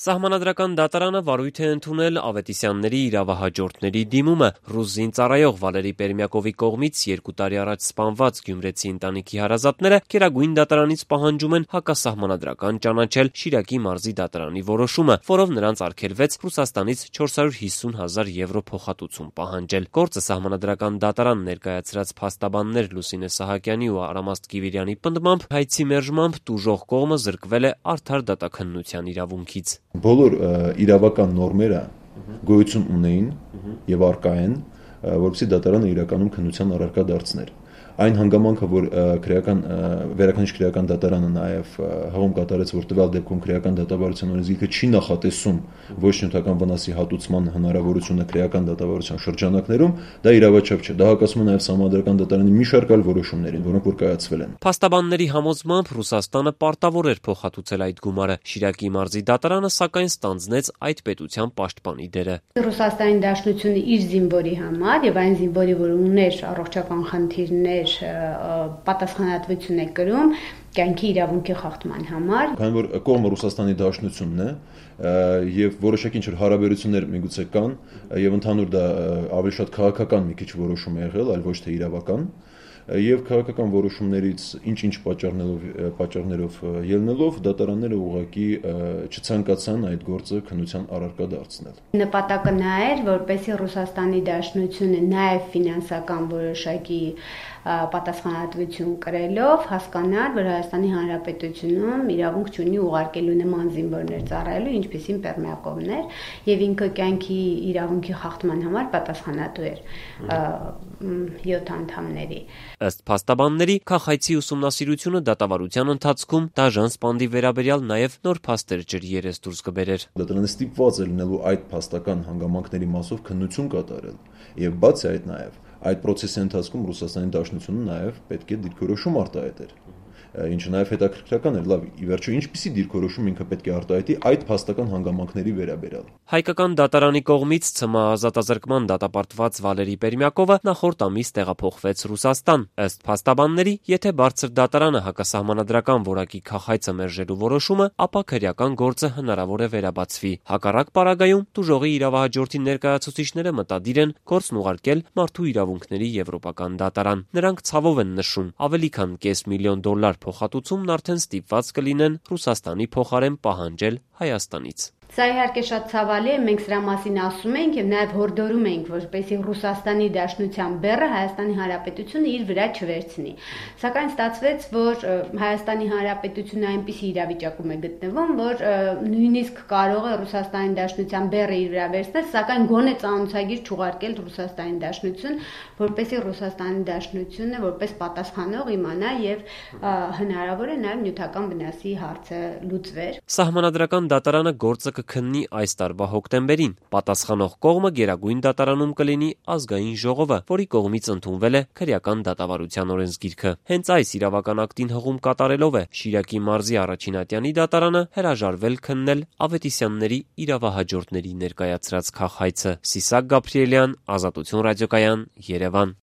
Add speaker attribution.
Speaker 1: Սահմանադրական դատարանը վարույթ է ընդունել Ավետիսյանների իրավահաջորդների դիմումը ռուս զինծառայող Վալերի Պերմյակովի կողմից 2 տարի առաջ սպանված գյումրեցի ընտանիքի հարազատները Գերագույն դատարանից պահանջում են հակասահմանադրական ճանաչել Շիրակի մարզի դատարանի որոշումը, որով նրանց արգելվեց Ռուսաստանից 450,000 եվրո փոխհատուցում պահանջել։ Գործը Սահմանադրական դատարան ներկայացրած փաստաբաններ Լուսինե Սահակյանի ու Արամաստ Կիվիրյանի պնդմամբ հայցի մերժմամբ տուժող կողմը զրկվել է արդար դատաքննության իրավունքից։
Speaker 2: Բոլոր իրավական նորմերը գոյություն ունեին եւ առկա են, որովհետեւ դատարանը իրականում քննության առարկա դարձներ։ Այն հանգամանքը, որ վերաքննիչ քրեական դատարանը նաև հղում կատարեց, որ տվյալ դեպքում քրեական դատավարության օրենսգիրքը չի նախատեսում ոչ նյութական վնասի հատուցման հնարավորությունը քրեական դատավարության շրջանակներում, դա իրավաչափ չէ։ Դա հակասում է նաև Սահմանադրական դատարանի մի շարք այլ որոշումներին, որոնք որ կայացվել են։
Speaker 1: Փաստաբանների համոզմամբ Ռուսաստանը պարտավոր էր փոխհատուցել այդ գումարը։ Շիրակի մարզի դատարանը սակայն ստանձնեց այդ պետության պաշտպանի դերը։
Speaker 3: Ռուսաստանի Դաշնությունը իր զինվորի համար եւ այն զինվորի, որ ուներ առողջական խնդիրներ, պատասխանատվություն է կրում կյանքի իրավունքի խախտման համար։
Speaker 2: Քանի որ կողմը Ռուսաստանի Դաշնությունն է եւ որոշակի ինչ-որ հարաբերություններ միգուցե կան եւ ընդհանուր դա ավելի շատ քաղաքական մի քիչ որոշում է եղել, այլ ոչ թե իրավական, եւ քաղաքական որոշումներից ինչ-ինչ պատճառներով ելնելով դատարանները ուղղակի չցանկացան այդ գործը քննության առարկա դարձնել։
Speaker 3: Նպատակը նա էր, որպեսզի Ռուսաստանի Դաշնությունը նաեւ ֆինանսական որոշակի պատասխանատվություն կրելով հասկանար, որ Հայաստանի Հանրապետությունում իրավունք չունի ուղարկելու նման զինվորներ ծառայելու, ինչպիսին Պերմյակովն էր, եւ ինքը կյանքի իրավունքի խախտման համար պատասխանատու էր 7 անդամների։
Speaker 1: Ըստ փաստաբանների, քաղաքացի ուսումնասիրությունը դատավարության ընթացքում դաժան սպանդի վերաբերյալ նաև նոր փաստեր ջրի երես դուրս կբերեր։
Speaker 2: Դատարանը ստիպված է լինելու այդ փաստական հանգամանքների մասով քննություն կատարել եւ բացի այդ նաև այդ process-ի ընթացքում Ռուսաստանի Դաշնությունը նաև պետք է դիրքորոշում արտահայտեր, ինչը նաև հետաքրքրական էր, լավ, ի վերջո ինչպիսի դիրքորոշում ինքը պետք է արտահայտի այդ փաստական հանգամանքների վերաբերյալ։
Speaker 1: Հայկական դատարանի կողմից ՑՄ ազատազրկման դատապարտված Վալերի Պերմյակովը նախորդ ամիս տեղափոխվեց Ռուսաստան։ Ըստ փաստաբանների, եթե բարձր դատարանը հակասահմանադրական որակի քաղաքացը մերժելու որոշումը, ապա քրեական գործը հնարավոր է վերաբացվի։ Հակառակ պարագայում տուժողի իրավահաջորդի ներկայացուցիչները մտադիր են գործն ուղարկել Մարդու իրավունքների եվրոպական դատարան։ Նրանք ցավով են նշում, ավելի քան $500,000 փոխհատուցումն արդեն ստիպված կլինեն Ռուսաստանի փոխարեն պահանջել Հայաստանից։
Speaker 3: Սա իհարկե շատ ցավալի է, մենք սրա մասին ասում ենք եւ նաեւ հորդորում ենք, որպեսզի Ռուսաստանի Դաշնության բեռը Հայաստանի Հանրապետությունը իր վրա չվերցնի։ Սակայն ստացվեց, որ Հայաստանի Հանրապետությունը այնպիսի իրավիճակում է գտնվում, որ նույնիսկ կարող է Ռուսաստանի Դաշնության բեռը իր վրա վերցնել, սակայն գոնե ծանոթագիր չուղարկել Ռուսաստանի Դաշնություն, որպեսզի Ռուսաստանի Դաշնությունը որպես պատասխանող իմանա եւ հնարավոր է նաեւ նյութական վնասի հարցը լուծվեր։
Speaker 1: Սահմանադրական դատարանը գործը կքննի այս տարվա հոկտեմբերին։ Պատասխանող կողմը Գերագույն դատարանում կլինի Ազգային ժողովը, որի կողմից ընդունվել է քրեական դատավարության օրենսգիրքը։ Հենց այս իրավական ակտին հղում կատարելով է Շիրակի մարզի առաջինատյանի դատարանը հրաժարվել քննել Ավետիսյանների իրավահաջորդների ներկայացրած քաղաքացը։ Սիսակ Գաբրիելյան, Ազատություն ռադիոկայան, Երևան։